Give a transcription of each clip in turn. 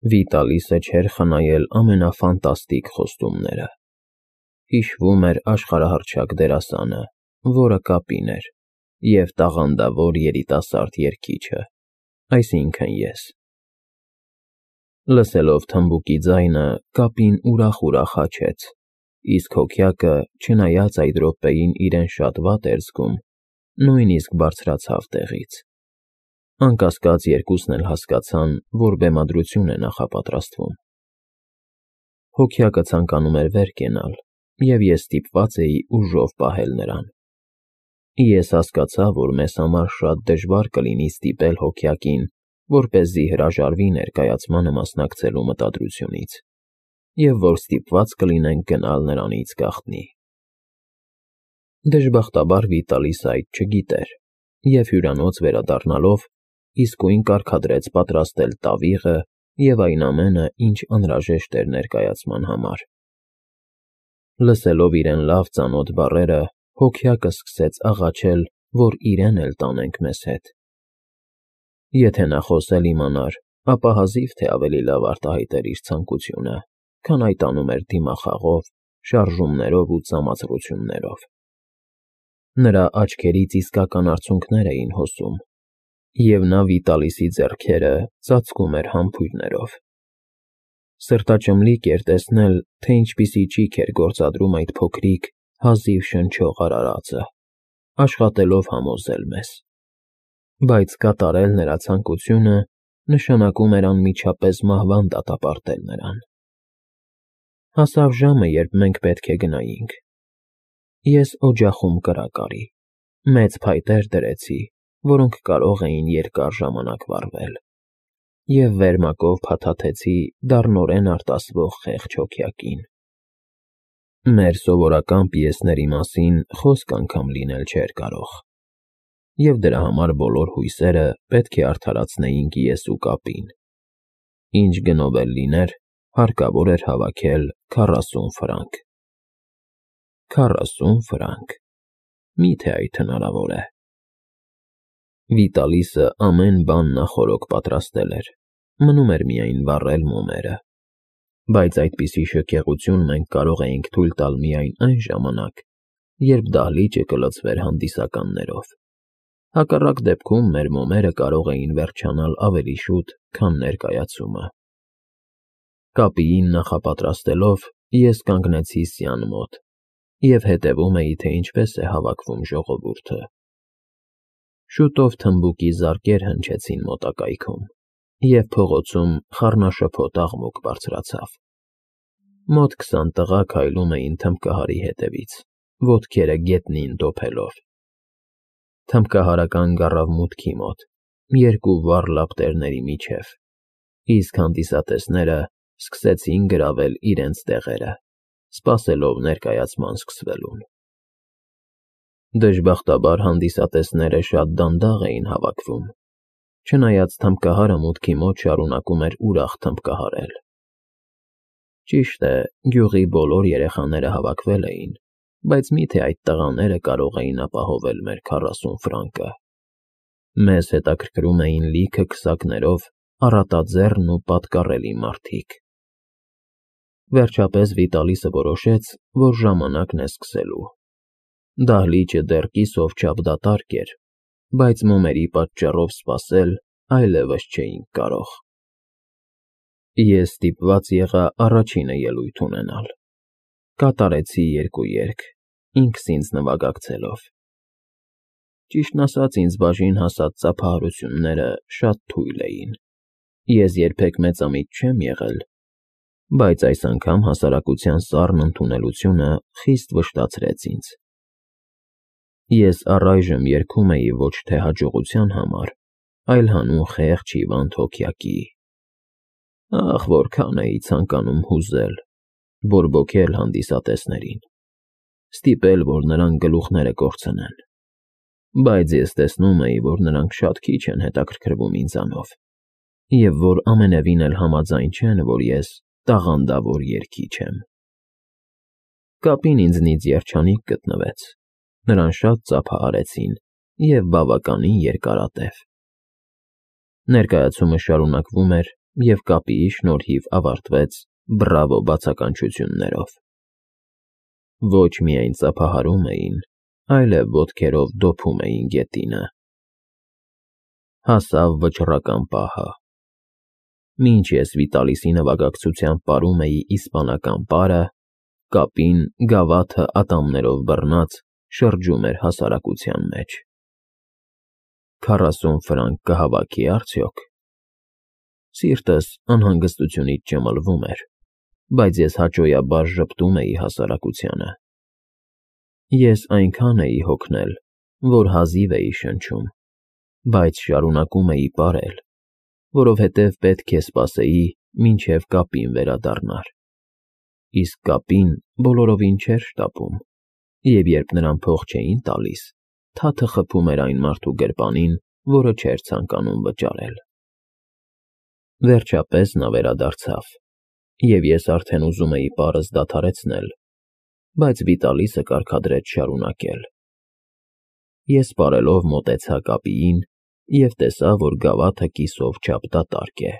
Վիտալիսը չէր խնայել ամենաֆանտաստիկ խոստումները։ Հիշվում էր աշխարհահռչակ դերասանը, որը կապին էր, և տաղանդավոր երիտասարդ երգիչը, այսինքն ես։ Լսելով թմբուկի ձայնը, կապին ուրախ-ուրախ հաչեց, իսկ հոգյակը, չնայած այդ րոպեին իրեն շատ վատ էր զգում, նույնիսկ բարձրացավ տեղից։ Անկասկած երկուսն էլ հասկացան, որ բեմադրություն է նախապատրաստվում։ Հոգյակը ցանկանում էր վեր կենալ, և ես ստիպված էի ուժով պահել նրան։ Ես հասկացա, որ մեզ համար շատ դժվար կլինի ստիպել հոգյակին, որպեսզի հրաժարվի ներկայացմանը մասնակցելու մտադրությունից, և որ ստիպված կլինենք գնալ նրանից գաղտնի։ Դժբախտաբար Վիտալիսը այդ չգիտեր, և հյուրանոց վերադառնալով իսկույն կարգադրեց պատրաստել տավիղը և այն ամենը, ինչ անհրաժեշտ էր ներկայացման համար։ Լսելով իրեն լավ ծանոթ բառերը, հոգյակը սկսեց աղաչել, որ իրեն էլ տանենք մեզ հետ։ Եթե նա խոսել իմանար, ապա հազիվ թե ավելի լավ արտահայտեր իր ցանկությունը, քան այդ անում էր դիմախաղով, շարժումներով ու ծամացրություններով։ Նրա աչքերից իսկական արցունքներ էին հոսում, և նա Վիտալիսի ձեռքերը ծածկում էր համբույրներով։ Սրտաճմլիկ էր տեսնել, թե ինչպիսի ճիգ էր գործադրում այդ փոքրիկ, հազիվ շնչող արարածը, աշխատելով համոզել մեզ։ Բայց կատարել նրա ցանկությունը նշանակում էր անմիջապես մահվան դատապարտել նրան։ Հասավ ժամը, երբ մենք պետք է գնայինք։ Ես օջախում կրակ արի, մեծ փայտեր դրեցի, որոնք կարող էին երկար ժամանակ վառվել, և վերմակով փաթաթեցի դառնորեն արտասվող խեղճ հոգյակին։ Մեր սովորական պիեսների մասին խոսք անգամ լինել չէր կարող, և դրա համար բոլոր հույսերը պետք է արդարացնեինք ես ու կապին։ Ինչ գնով էլ լիներ, հարկավոր էր հավաքել 40 ֆրանկ։ 40 ֆրանկ… Մի՞թե այդ հնարավոր է։ Վիտալիսը ամեն բան նախօրոք պատրաստել էր, մնում էր միայն վառել մոմերը։ Բայց այդպիսի շքեղություն մենք կարող էինք թույլ տալ միայն այն ժամանակ, երբ դահլիճը կլցվեր հանդիսականներով։ Հակառակ դեպքում մեր մոմերը կարող էին վերջանալ ավելի շուտ, քան ներկայացումը։ Կապիին նախապատրաստելով, ես կանգնեցի սյան մոտ և հետևում էի, թե ինչպես է հավաքվում ժողովուրդը։ Շուտով թմբուկի զարկեր հնչեցին մոտակայքում, և փողոցում խառնաշփոթ աղմուկ բարձրացավ։ Մոտ 20 տղա քայլում էին թմբկահարի հետևից, ոտքերը գետնին դոփելով։ Թմբկահարական գառավ մուտքի մոտ, երկու վառ լապտերների միջև, իսկ հանդիսատեսները սկսեցին գրավել իրենց տեղերը, սպասելով ներկայացման սկսվելուն։ Դժբախտաբար հանդիսատեսները շատ դանդաղ էին հավաքվում, չնայած թմբկահարը մուտքի մոտ շարունակում էր ուրախ թմբկահարել։ Ճիշտ է, գյուղի բոլոր երեխաները հավաքվել էին, բայց մի՞թե այդ տղաները կարող էին ապահովել մեր 40 ֆրանկը։ Մեզ հետաքրքրում էին լիքը քսակներով առատաձեռն ու պատկառելի մարդիկ։ Վերջապես Վիտալիսը որոշեց, որ ժամանակն է սկսելու։ Դահլիճը դեռ կիսով չափ դատարկ էր, բայց մոմերի պատճառով սպասել այլևս չէինք կարող։ Ես ստիպված եղա առաջինը ելույթ ունենալ։ Կատարեցի 2 երգ, ինքս ինձ նվագակցելով։ Ճիշտն ասած, ինձ բաժին հասած ծափահարությունները շատ թույլ էին։ Ես երբեք մեծամիտ չեմ եղել, բայց այս անգամ հասարակության սառն ընդունելությունը խիստ վշտացրեց ինձ։ Ես առայժմ երգում էի ոչ թե հաջողության համար, այլ հանուն խեղճ հիվանդ հոգյակի։ Ախ, որքան էի ցանկանում հուզել, բորբոքել հանդիսատեսներին, ստիպել, որ նրանք գլուխները կորցնեն։ Բայց ես տեսնում էի, որ նրանք շատ քիչ են հետաքրքրվում ինձանով, և որ ամենևին էլ համաձայն չեն, որ ես տաղանդավոր երգիչ եմ։ Կապին ինձնից երջանիկ գտնվեց, նրան շատ ծափահարեցին և բավականին երկարատև։ Ներկայացումը շարունակվում էր, և կապիի շնորհիվ ավարտվեց բրավո բացականչություններով։ Ոչ միայն ծափահարում էին, այլև ոտքերով դոփում էին գետինը։ Հասավ վճռական պահը։ Մինչ ես Վիտալիսի նվագակցությամբ պարում էի իսպանական պարը, կապին գավաթը ատամներով բռնած շրջում էր հասարակության մեջ։ 40 ֆրանկ կհավաքի արդյոք։ Սիրտս անհանգստությունից ճմլվում էր, բայց ես հաճոյաբար ժպտում էի հասարակությանը։ Ես այնքան էի հոգնել, որ հազիվ էի շնչում, բայց շարունակում էի պարել, որովհետև պետք է սպասեի, մինչև կապին վերադառնար։ Իսկ կապին բոլորովին չէր շտապում, և երբ նրան փող չէին տալիս, թաթը խփում էր այն մարդու գրպանին, որը չէր ցանկանում վճարել։ Վերջապես նա վերադարձավ, և ես արդեն ուզում էի պարզ դադարեցնել, բայց Վիտալիսը կարգադրեց շարունակել։ Ես պարելով մոտեցա կապիին և տեսա, որ գավաթը կիսով չափ դատարկ է։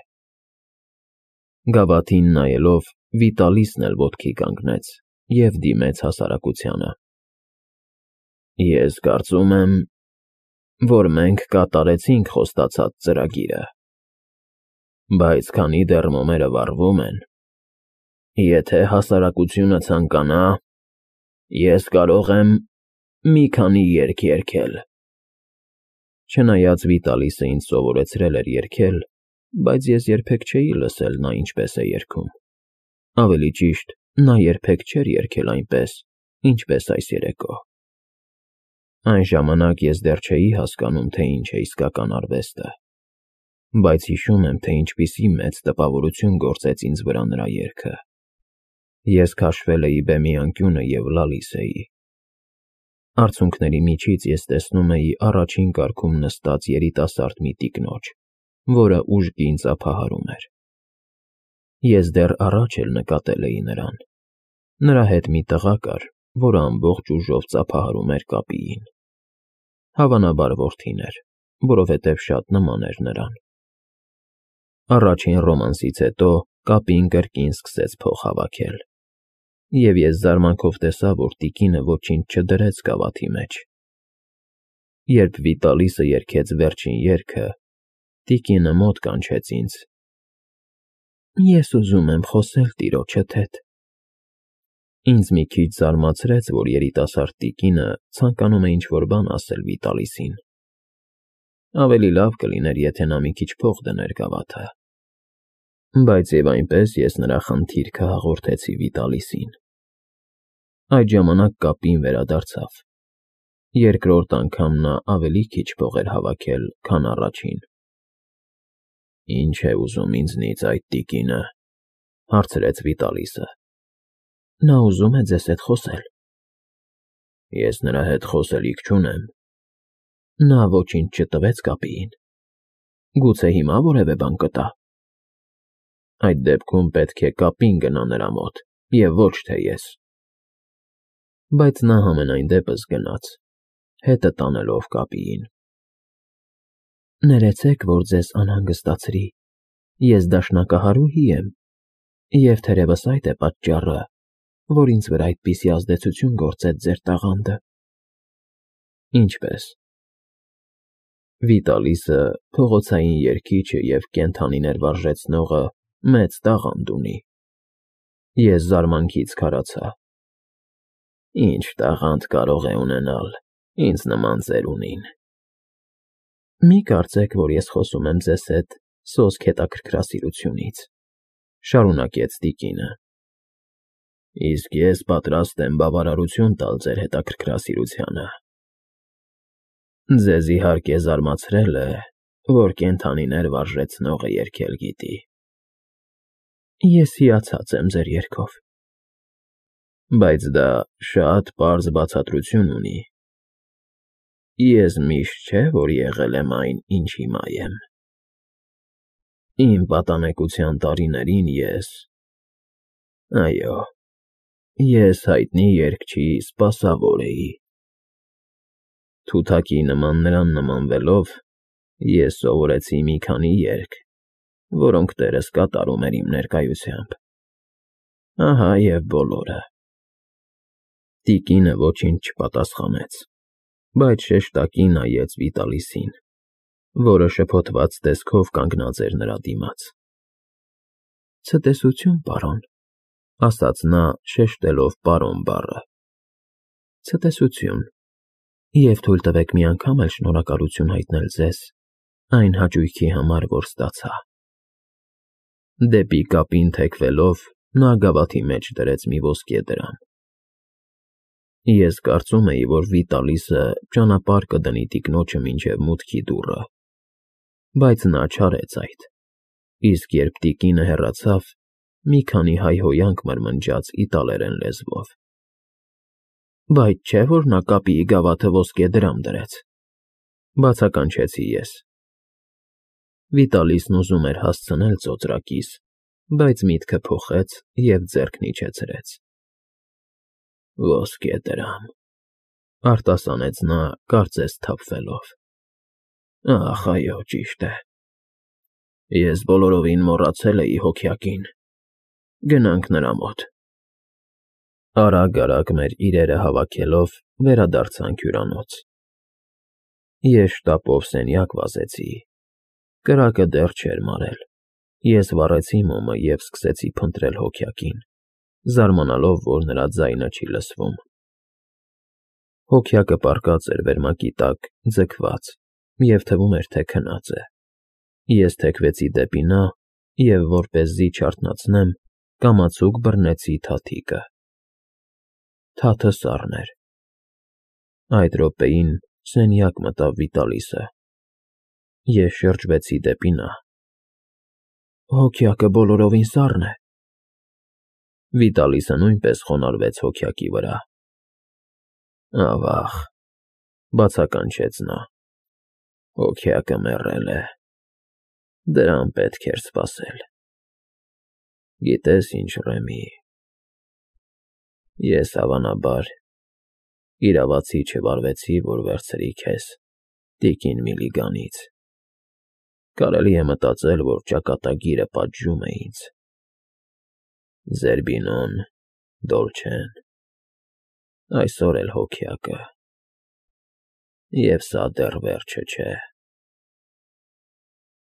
Գավաթին նայելով, Վիտալիսն էլ ոտքի կանգնեց և դիմեց հասարակությանը։ Ես կարծում եմ, որ մենք կատարեցինք խոստացած ծրագիրը, բայց քանի դեռ մոմերը վառվում են, եթե հասարակությունը ցանկանա, ես կարող եմ մի քանի երգ երգել։ Չնայած Վիտալիսը ինձ սովորեցրել էր երգել, բայց ես երբեք չէի լսել նա ինչպես է երգում։ Ավելի ճիշտ, նա երբեք չէր երգել այնպես, ինչպես այս երեկո։ Այն ժամանակ ես դեռ չէի հասկանում, թե ինչ է իսկական արվեստը, բայց հիշում եմ, թե ինչպիսի մեծ տպավորություն գործեց ինձ վրա նրա երգը։ Ես քաշվել էի բեմի անկյունը և լալիս էի։ Արցունքների միջից ես տեսնում էի առաջին կարգում նստած երիտասարդ մի տիկնոջ, որը ուժգին ծափահարում էր։ Ես դեռ առաջ էլ նկատել էի նրան։ Նրա հետ մի տղա կար, որը ամբողջ ուժով ծափահարում էր կապիին։ Հավանաբար որդին էր, որովհետև շատ նման էր նրան։ Առաջին ռոմանսից հետո կապին կրկին սկսեց փող հավաքել, և ես զարմանքով տեսա, որ տիկինը ոչինչ չդրեց գավաթի մեջ։ Երբ Վիտալիսը երգեց վերջին երգը, տիկինը մոտ կանչեց ինձ։ Ես ուզում եմ խոսել տիրոջդ հետ։ Ինձ մի քիչ զարմացրեց, որ երիտասարդ տիկինը ցանկանում է ինչ-որ բան ասել Վիտալիսին։ Ավելի լավ կլիներ, եթե նա մի քիչ փող դներ գավաթը։ Բայց և այնպես ես նրա խնդիրքը հաղորդեցի Վիտալիսին։ Այդ ժամանակ կապին վերադարձավ։ Երկրորդ անգամ նա ավելի քիչ փող էր հավաքել, քան առաջին։ Ինչ է ուզում ինձնից այդ տիկինը, հարցրեց Վիտալիսը։ Նա ուզում է ձեզ հետ խոսել։ Ես նրա հետ խոսելիք չունեմ։ Նա ոչինչ չտվեց կապիին։ Գուցե հիմա որևէ բան կտա։ Այդ դեպքում պետք է կապին գնա նրա մոտ, և ոչ թե ես։ Բայց նա համենայն դեպս գնաց, հետը տանելով կապիին։ Ներեցեք, որ ձեզ անհանգստացրի, ես դաշնակահարուհի եմ, և թերևս այդ է պատճառը, որ ինձ վրա այդպիսի ազդեցություն գործեց ձեր տաղանդը։ Ինչպե՞ս։ Վիտալիսը, փողոցային երգիչը և կենդանիներ վարժեցնողը մեծ տաղանդ ունի։ Ես զարմանքից քարացա։ Ինչ տաղանդ կարող է ունենալ ինձ նման ծերունին։ Մի կարծեք, որ ես խոսում եմ ձեզ հետ սոսկ հետաքրքրասիրությունից, շարունակեց տիկինը։ Իսկ ես պատրաստ եմ բավարարություն տալ ձեր հետաքրքրասիրությանը։ Ձեզ իհարկե զարմացրել է, որ կենդանիներ վարժեցնողը երգել գիտի։ Ես հիացած եմ ձեր երգով։ Բայց դա շատ պարզ բացատրություն ունի։ Ես միշտ չէ, որ եղել եմ այն, ինչ հիմա եմ։ Իմ պատանեկության տարիներին այո, ես հայտնի երգչի սպասավոր էի։ Թութակի նման նրան նմանվելով, ես սովորեցի մի քանի երգ որոնք տերս կատարում էր իմ ներկայությամբ։ Ահա և բոլորը։ Տիկինը ոչինչ չպատասխանեց, բայց շեշտակի նայեց Վիտալիսին, որը շփոթված տեսքով կանգնած էր նրա դիմաց։ Ցտեսություն, պարոն, ասաց նա, շեշտելով պարոն բառը։ Ցտեսություն, և թույլ տվեք մի անգամ էլ շնորհակալություն հայտնել ձեզ այն հաճույքի համար, որ ստացա։ Դեպի կապին թեքվելով, նա գավաթի մեջ դրեց մի ոսկե դրամ։ Ես կարծում էի, որ Վիտալիսը ճանապարհ կդնի տիկնոջը մինչև մուտքի դուռը, բայց նա չարեց այդ, իսկ երբ տիկինը հեռացավ, մի քանի հայհոյանք մրմնջաց իտալերեն լեզվով։ Բայց չէ՞ որ նա կապի գավաթը ոսկե դրամ դրեց, բացականչեցի ես։ Վիտալիսն ուզում էր հասցնել ծոծրակից, բայց միտքը փոխեց և ձեռքն իջեցրեց։ Ոսկե դրամ, արտասանեց նա, կարծես թափվելով։ Ախ, այո, ճիշտ է։ Ես բոլորովին մոռացել էի հոգյակին։ Գնանք նրա մոտ։ Արագ-արագ մեր իրերը հավաքելով վերադարձանք հյուրանոց։ Ես շտապով սենյակ վազեցի։ Կրակը դեռ չէր մարել։ Ես վառեցի մոմը և սկսեցի փնտրել հոգյակին, զարմանալով, որ նրա ձայնը չի լսվում։ Հոգյակը պառկած էր վերմակի տակ, ձգված, և թվում էր, թե քնած է։ Ես թեքվեցի դեպի նա և, որպեսզի չարթնացնեմ, կամացուկ բռնեցի թաթիկը։ Թաթը սառն էր։ Այդ րոպեին սենյակ մտավ Վիտալիսը։ Ես շրջվեցի դեպի նա։ Հոգյակը բոլորովին սառն է։ Վիտալիսը նույնպես խոնարհվեց հոգյակի վրա։ Ավա՜ղ, բացականչեց նա։ Հոգյակը մեռել է։ Դրան պետք էր սպասել։ Գիտես ինչ, Ռեմի, ես հավանաբար իրավացի չվարվեցի, որ վերցրի քեզ տիկին Միլիգանից։ Կարելի է մտածել, որ ճակատագիրը պատժում է ինձ։ Զերբինոն, Դոլչեն, այսօր էլ հոգյակը։ Եվ սա դեռ վերջը չէ։